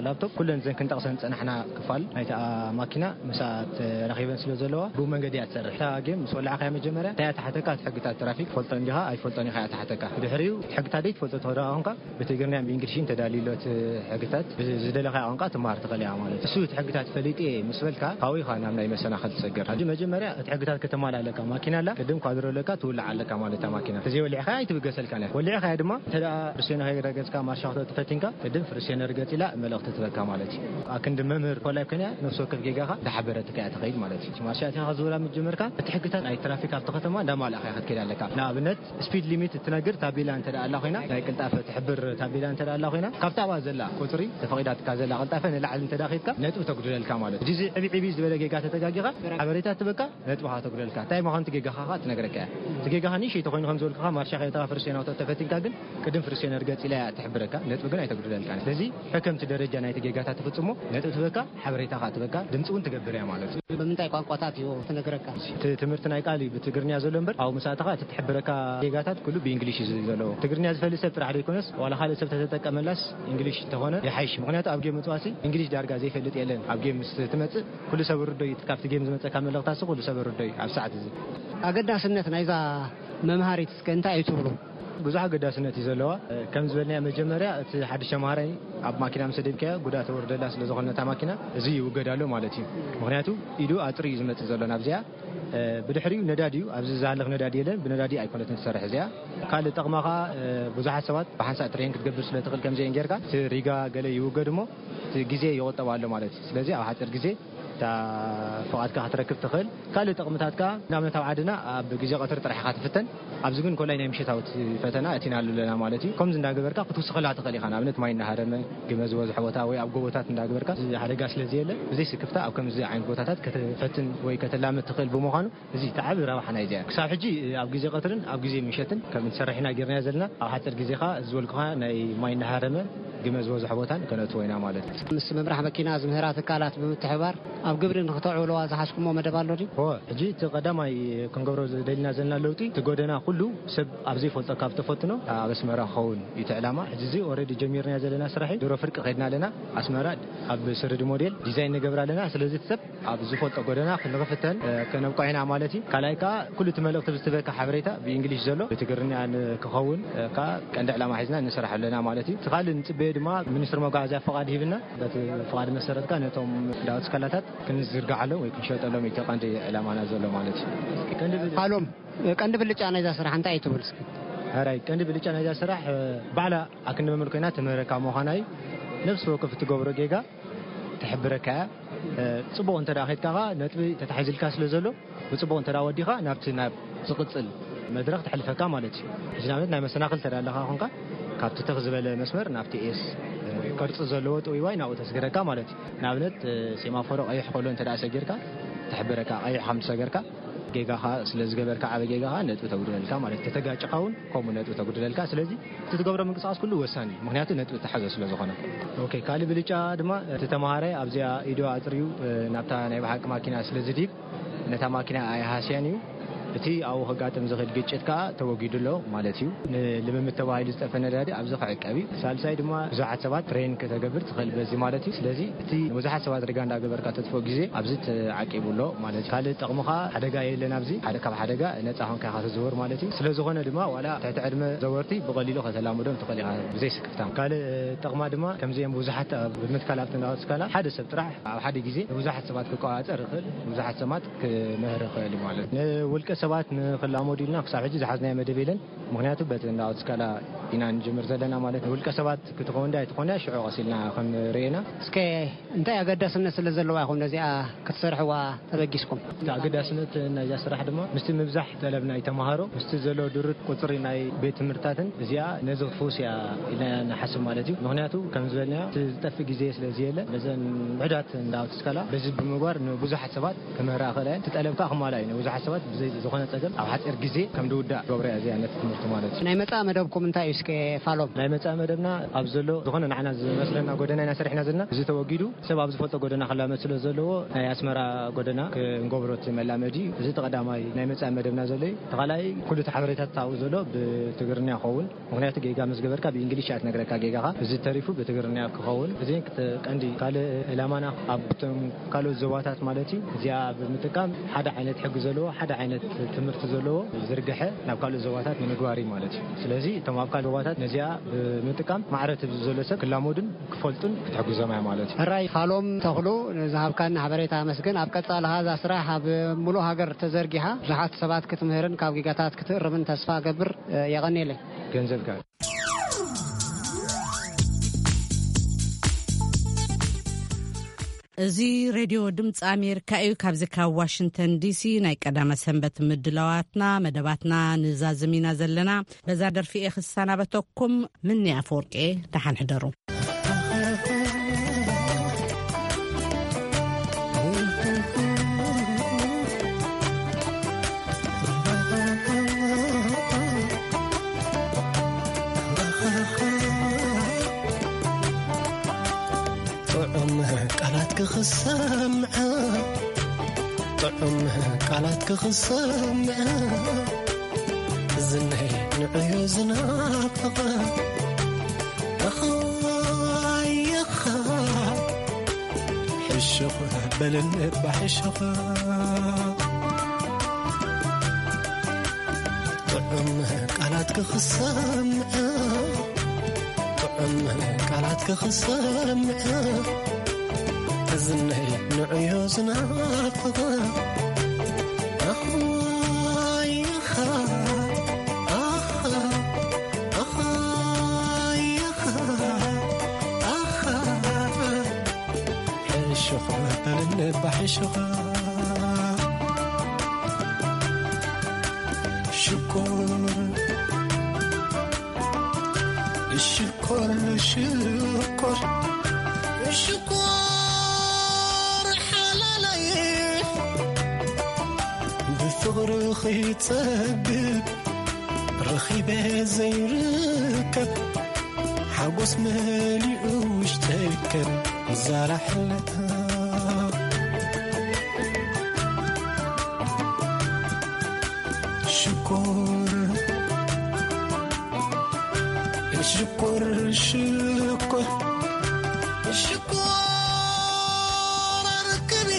ላፕቶፕ ኩለን እዘን ክንጠቕሰን ዝጸናሕና ክፋል ናይታ ማኪና ምስኣ ተራኺበን ስለ ዘለዋ ብኡ መንገዲ እያ ትሰርሕ። እታ ጌም ምስ ወላዕካያ መጀመርያ እንታይ እያ ትሓተካ? እቲ ሕግታት ትራፊክ ትፈልጦ እንዲኻ ኣይትፈልጦን ኢኻ እያ ትሓተካ። ብድሕሪኡ እቲ ሕግታት ዘይትፈልጦ ተወዳኣ ኾንካ ብትግርኛን ብእንግሊሽን ተዳልዩ ኣሎ እቲ ሕግታት። ብዝደለኻዮ ቋንቋ ትመሃር ትኽእል ኢኻ ማለት እዩ። እሱ እቲ ሕግታት ፈሊጠ እየ ምስ በልካ ካብኡ ኢኻ ናብ ናይ መሰናኽል ትሰገር። ሕጂ መጀመርያ እቲ ሕግታት ከተማልእ ኣለካ። ማኪና ኣላ፣ ቅድም ኳድሮ ኣለካ፣ ትውልዓ ኣለካ ማለት እታ ማኪና። ተዘይወሊዕኻያ ኣይትብገሰልካን እያ። ወሊዕኻያ ድማ እንተ ደኣ ፍርሴኖ ከይረገጽካ ማርሻ ክትወጥእ ፈቲንካ፣ ቅድም ፍርሴኖ ርገጽ ኢላ መልእኽቲ ትበካ ማለት እዩ። ኣክንዲ መምህር ኮላይ ኮይና ነፍሲ ወከፍ ጌጋኻ እንዳሓበረትካ እያ ትኸይድ ማለት እዩ። ማርሻ ኣቲኻ ክትዝውራ ምስ ጀመርካ እቲ ሕግታት ናይ ትራፊክ ኣብቲ ከተማ እንዳማልእኻ ክትከይድ ኣለካ። ንኣብነት ስፒድ ሊሚት እትነግር ታቤላ እንተ ደኣ ኣላ ኮይና፣ ናይ ቅልጣፈ ትሕብር ታቤላ እንተ ደኣ ኣላ ኮይና፣ ካብታ ኣብኣ ዘላ ቁጽሪ ተፈቒዳትካ ዘላ ቅልጣፈ ንላዕሊ እንተ ደኣ ኸይድካ ነጥቢ ተጉድለልካ ማለት እዩ። እዚ ዕብይ ዕብይ ዝበለ ጌጋ ተተጋጊኻ ሓበሬታ ትበካ፣ ነጥብኻ ተጉድለልካ። እንታይ ምዃኑ እቲ ጌጋኻ ኸኣ ትነግረካ እያ። እቲ ጌጋኻ ንእሽተይ ተኾይኑ ከም ዝበልኩኻ ማርሻ ከይተኻ ፍርሴና ተፈቲንካ ግን ቅድም ፍርሴና ርገጽ ኢላ እያ ትሕብረካ፣ ነጥቢ ግን ኣይተጉድለልካን። ስለዚ ሕከምቲ ደረጃ ናይቲ ጌጋታት ትፍጽሞ፣ ነጥቢ ትበካ፣ ሓበሬታ ኸኣ ትበካ፣ ድምጺ እውን ትገብር እያ ማለት እዩ። ብምንታይ ቋንቋታት እዩ ትነግረካ? እቲ ትምህርቲ ናይ ቃል እዩ ብትግርኛ ዘሎ እምበር፣ ኣብኡ ምስ ኣተኻ እቲ ትሕብረካ ጌጋታት ኩሉ ብእንግሊሽ እዩ ዘለዎ። ትግርኛ ዝፈልጥ ሰብ ጥራሕ ዘይኮነስ፣ ዋላ ካልእ ሰብ ተተጠቀመላስ እንግሊሽ እንተኾነ ይሓይሽ። ምኽንያቱ ኣብ ጌም ምጽዋሲ እንግሊሽ ዳርጋ ዘይፈልጥ የለን። ኣብ ጌም ምስ ትመጽእ ኩሉ ሰብ ርዶ እዩ፣ ካብቲ ጌም ዝመጸካ መልእኽታሲ ኩሉ ሰብ ርዶ እዩ ኣብ ሰዓት እዚ። ኣገዳስነት ናይዛ መምሃሪት እስከ እንታይ እዩ ትብሉ? ብዙሕ ኣገዳስነት እዩ ዘለዋ። ከም ዝበልናዮ መጀመርያ እቲ ሓድሽ ተምሃራይ ኣብ ማኪና ምስ ደብካዮ ጉድኣት ወርደላ ስለ ዝኾነ እታ ማኪና እዚ ይውገድ ኣሎ ማለት እዩ። ምኽንያቱ ኢዱ ኣጥሪ እዩ ዝመጽእ ዘሎ ናብዚኣ። ብድሕሪኡ ነዳዲ እዩ፣ ኣብዚ ዝሃልኽ ነዳዲ የለን፣ ብነዳዲ ኣይኮነትን ትሰርሕ እዚኣ። ካልእ ጠቕማ ኸኣ ብዙሓት ሰባት ብሓንሳእ ትሬን ክትገብር ስለ ትኽእል ከምዚአን ጌርካ እቲ ሪጋ ገለ ይውገድ እሞ እቲ ግዜ ይቑጠብ ኣሎ ማለት እዩ። ስለዚ ኣብ ሓፂር ግዜ እታ ፍቓድካ ክትረክብ ትኽእል። ካልእ ጥቕምታት ከኣ ንኣብነት ኣብ ዓድና ኣብ ግዜ ቀትሪ ጥራሕ ኢኻ ትፍተን። ኣብዚ ግን ኮላይ ናይ ምሸታዊ ፈተና እቲና ኣለና ማለት እዩ። ከምዚ እንዳገበርካ ክትውስኸላ ትኽእል ኢኻ። ንኣብነት ማይ እናሃረመ ግመ ዝበዝሖ ቦታ ወይ ኣብ ጎቦታት እንዳገበርካ እዚ ሓደጋ ስለ ዘየለ ብዘይ ስክፍታ ኣብ ከምዚ ዓይነት ቦታታት ከተፈትን ወይ ከተላምድ ትኽእል ብምዃኑ እዚ እቲ ዓቢ ረብሓ ናይዚኣ። ክሳብ ሕጂ ኣብ ግዜ ቀትርን ኣብ ግዜ ምሸትን ከም እንሰርሕ ኢና ጌርናዮ ዘለና። ኣብ ሓፂር ግዜ ኸኣ ዝበልኩኻ ናይ ማይ እናሃረመ ግመ ዝበዝሖ ቦታን ከነእትዎ ኢና ማለት እዩ። ምስ ምምራሕ መኪና ዝምህራ ትካላት ብምትሕባር ኣብ ግብሪ ንክተዕውልዋ ዝሓዝኩሞ መደብ ኣሎ ድዩ? እወ፣ ሕጂ እቲ ቀዳማይ ክንገብሮ ደሊና ዘለና ለውጢ፣ እቲ ጎደና ኩሉ ሰብ ኣብ ዘይፈልጦ ካብ ተፈትኖ ኣብ ኣስመራ ክኸውን እዩ እቲ ዕላማ። ሕጂ እዚ ኦልሬዲ ጀሚርናዮ ዘለና ስራሕ እዩ። ድሮ ፍርቂ ከድና ኣለና። ኣስመራ ኣብ ስርዲ ሞዴል ዲዛይን ንገብር ኣለና። ስለዚ እቲ ሰብ ኣብ ዝፈልጦ ጎደና ክንክፍተን፣ እ፣ ከነብቅዖ ኢና ማለት እዩ። ካልኣይ ከኣ ኩሉ እቲ መልእኽቲ ብዝትበካ ሓበሬታ ብእንግሊሽ ዘሎ ብትግርኛ ን-፣ ክኸውን፣ እ፣ ከኣ ቀንዲ ዕላማ ሒዝና ንሰርሕ ኣለና ማለት እዩ። እቲ ካልእ ንጽበዮ ድማ ሚኒስትሪ መጓዓዝያ ፍቓድ ሂብና፣ በቲ ፍቓድ መሰረት ከኣ ነቶም ዳውት ስካላታት ክንዝርግሓሎም ወይ ክንሸጠሎም እዩ እቲ ቀንዲ ዕላማና ዘሎ ማለት እዩ። ቀንዲ ብ-፣ ሃሎም፣ ቀንዲ ብልጫ ናይዛ ስራሕ እንታይ እዩ ትብል እስኪ? ሕራይ፣ ቀንዲ ብልጫ ናይዛ ስራሕ፣ እ፣ ባዕላ ኣክንዲ መምህር ኮይና ትምህረካ ምዃና እዩ። ነፍሲ ወከፍ እትገብሮ ጌጋ ትሕብረካ እያ። እ፣ ጽቡቕ እንተ ደኣ ኸይድካ ኸኣ ነጥቢ ተታሒዝልካ ስለ ዘሎ፣ ብጽቡቕ እንተ ደኣ ወዲኻ ናብቲ ናብ ዝቕጽል መድረኽ ተሕልፈካ ማለት እዩ። ሕጂ ንኣብነት ናይ መሰናኽል እንተ ደኣ ኣለኻ ኾንካ፣ ካብቲ ትኽ ዝበለ መስመር ናብቲ ኤስ፣ እ፣ ቅርጺ ዘለዎ ጥውይዋይ ናብኡ ተስግረካ ማለት እዩ። ንኣብነት፣ እ፣ ሴማፎሮ ቀይሕ ከሎ እንተ ደኣ ሰጊርካ፣ ትሕብረካ ቀይሕ ከም ዝሰገርካ። ጌጋኻ ስለ ዝገበርካ፣ ዓቢ ጌጋኻ ነጥቢ ተጉድለልካ ማለት እዩ። ተተጋጭኻ እውን ከምኡ ነጥቢ ተጉድለልካ። ስለዚ እቲ ትገብሮ ምንቅስቃስ ኩሉ ወሳኒ እዩ፣ ምክንያቱ ነጥቢ ተሓዞ ስለ ዝኾነ። ኦኬ፣ ካልእ ብልጫ ድማ እቲ ተምሃራይ ኣብዚኣ ኢዱ ኣጥርዩ፣ እ፣ ናብታ ናይ ብሓቂ ማኪና ስለ ዝድይብ፣ ነታ ማኪና ኣይሃስያን እዩ። እቲ ኣብኡ ከጋጥም ዝኽእል ግጭት ከኣ ተወጊዱ ኣሎ ማለት እዩ። ንልምምድ ተባሂሉ ዝጠፈ ነዳዲ ኣብዚ ክዕቀብ እዩ። ሳልሳይ ድማ ብዙሓት ሰባት ትሬን ከተገብር ትኽእል በዚ ማለት እዩ። ስለዚ እቲ ንብዙሓት ሰባት ሪጋ እንዳገበርካ ተጥፍኦ ግዜ ኣብዚ ተዓቂቡ ኣሎ ማለት እዩ። ካልእ ጥቕሚ ከኣ ሓደጋ የለን ኣብዚ። ሓደ ካብ ሓደጋ ነጻ ኾንካ ኢኻ ትዝውር ማለት እዩ። ስለ ዝኾነ ድማ ዋላ ትሕቲ ዕድመ ዘወርቲ ብቐሊሉ ከተላምዶም ትኽእል ኢኻ ብዘይ ስክፍታ። ካልእ ጥቕማ ድማ ከምዚኦም ብዙሓት ኣብ ምትካል ኣብቲ እንዳወስካላ ሓደ ሰብ ጥራሕ ኣብ ሓደ ግዜ ንብዙሓት ሰባት ክቆጻጸር ይኽእል፣ ብዙሓት ሰባት ክምህር ይኽእል እዩ ማለት እዩ። ንውልቀ ሰባት ንኽላመዱ ኢልና ክሳብ ሕጂ ዝሓዝናዮ መደብ የለን። ምኽንያቱ በቲ እንዳወስካላ ኢና ንጅምር ዘለና ማለት እዩ። ውልቀ ሰባት ክትኸውን ዳ ኣይትኾነ ሽዑ ቀስ ኢልና ክንርእየና። እስከ እንታይ ኣገዳስነት ስለ ዘለዋ ኢኹም ነዚኣ ክትሰርሕዋ ተበጊስኩም? እቲ ኣገዳስነት ናይዛ ስራሕ ድማ ምስቲ ምብዛሕ ጠለብ ናይ ተምሃሮ፣ ምስቲ ዘሎ ድሩት ቁጽሪ ናይ ቤት ትምህርትታትን እዚኣ ነዚ ክትፍውስ እያ ኢልና ንሓስብ ማለት እዩ። ምኽንያቱ ከም ዝበልናዮ እቲ ዝጠፍእ ግዜ ስለ ዘየለ ነዘን ውሑዳት እንዳወስካላ በዚ ብምግባር ንብዙሓት ሰባት ክምህራ ይኽእላ እየን። እቲ ጠለብ ከኣ ክማልኣ እዩ። ንብዙሓት ሰባት ብዘይ ዝኾነ ጸገም ኣብ ሓጺር ግዜ ከም ዝውዳእ ገብረ እያ እዚኣ ነቲ ትምህርቲ ማለት እዩ። ናይ መጻኢ መደብኩም እንታይ እዩ እስከ ፋሎም? ናይ መጻኢ መደብና ኣብ ዘሎ ዝኾነ ንዓና ዝመስለና ጎደና ኢና ሰሪሕና ዘለና። እዚ ተወጊዱ ሰብ ኣብ ዝፈልጦ ጎደና ክላመድ ስለ ዘለዎ ናይ ኣስመራ ጎደና ክንገብሮ እቲ መላመዲ እዩ። እዚ እቲ ቀዳማይ ናይ መጻኢ መደብና ዘሎ እዩ። እቲ ካልኣይ ኩሉ እቲ ሓበሬታታት ኣብኡ ዘሎ ብትግርኛ ይኸውን። ምኽንያቱ ጌጋ ምስ ገበርካ ብእንግሊሽ እያ ትነግረካ ጌጋኻ። እዚ ተሪፉ ብትግርኛ ክኸውን። እዚ ክተ-፣ ቀንዲ ካልእ ዕላማና ኣብቶም ካልኦት ዞባታት ማለት እዩ። እዚኣ ብምጥቃም ሓደ ዓይነት ሕጊ ዘለዎ፣ ሓደ ዓይነት ትምህርቲ ዘለዎ ዝርግሐ ናብ ካልኦት ዞባታት ንምግባር እዩ ማለት እዩ። ስለዚ እቶም ኣብ ካልእ ዞባታት ነዚኣ ብምጥቃም ማዕረ እቲ ዘሎ ሰብ ክላመዱን ክፈልጡን ክትሕግዞም እያ ማለት እዩ። ሕራይ ፋሎም ተኽሉ፣ ንዝሃብካኒ ሓበሬታ ኣመስግን። ኣብ ቀጻሊ ኸኣ እዛ ስራሕ ኣብ ሙሉእ ሃገር ተዘርጊሓ ብዙሓት ሰባት ክትምህርን ካብ ጌጋታት ክትእርምን ተስፋ እገብር። የቐንየለይ። ገንዘብካ። እዚ ሬድዮ ድምፂ ኣሜሪካ እዩ። ካብዚ ካብ ዋሽንግተን ዲሲ ናይ ቀዳመ ሰንበት ምድላዋትና፣ መደባትና ንዛዝም ኢና ዘለና። በዛ ደርፊ እየ ክሰናበተኩም። ምኒ ኣፈወርቂ፣ ደሓን ሕደሩ። ጥዑም ቃላት ክኽሰምዐ፣ ጥዑም ቃላት ክኽሰምዐ፣ ዝነይ ንዕዮ ዝናፍቐ። ኣኻይኻ ሕሹኽ በልኒ እባ ሕሹኽ። ጥዑም ቃላት ክኽሰምዐ፣ ጥዑም ቃላት ክኽሰምዐ፣ እዝነይ ንዕዮ ዝናፍቐ። ኣኽዋይኻ፣ ኣኻ፣ ኣኽዋይኻ፣ ኣኻ። ሕሹኽ በልኒ እባ ሕሹኽ። ሽኮር፣ ሽኮር፣ ሽኮር፣ ሽኮር ሓላለይ፣ ብፍቕርኺ ጸግብ ረኺበ ዘይርከብ፣ ሓጎስ መሊኡ ውሽጠይ ከም ዛራ ሕልታ። ሽኮር፣ ሽኮር፣ ሽኮር፣ ሽኮር ኣርክቢ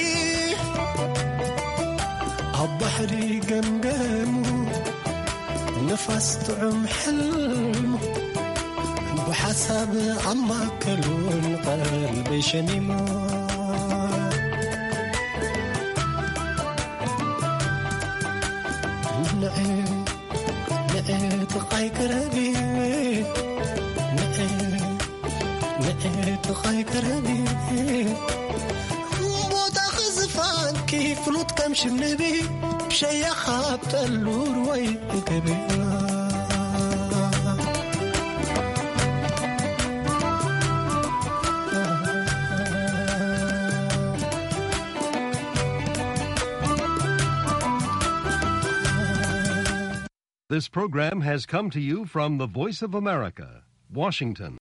ኣብ ባሕሪ ገምገሙ፣ ንፋስ ጥዑም ሕልሙ፣ ብሓሳብ ኣማከሉ ንቐልበይ ሸሚሙ። ንዒ፣ ንዒ ጥቓይ ቅረቢ፣ ንዒ፣ ንዒ ጥቓይ ቅረቢ፣ ቦታኺ ዝፋንኪ ፍሉጥ ከም ሽንቢ፣ ሸያኻ ኣብ ጠሉር ወይ እከቢ። This program has come to you from the Voice of America, Washington.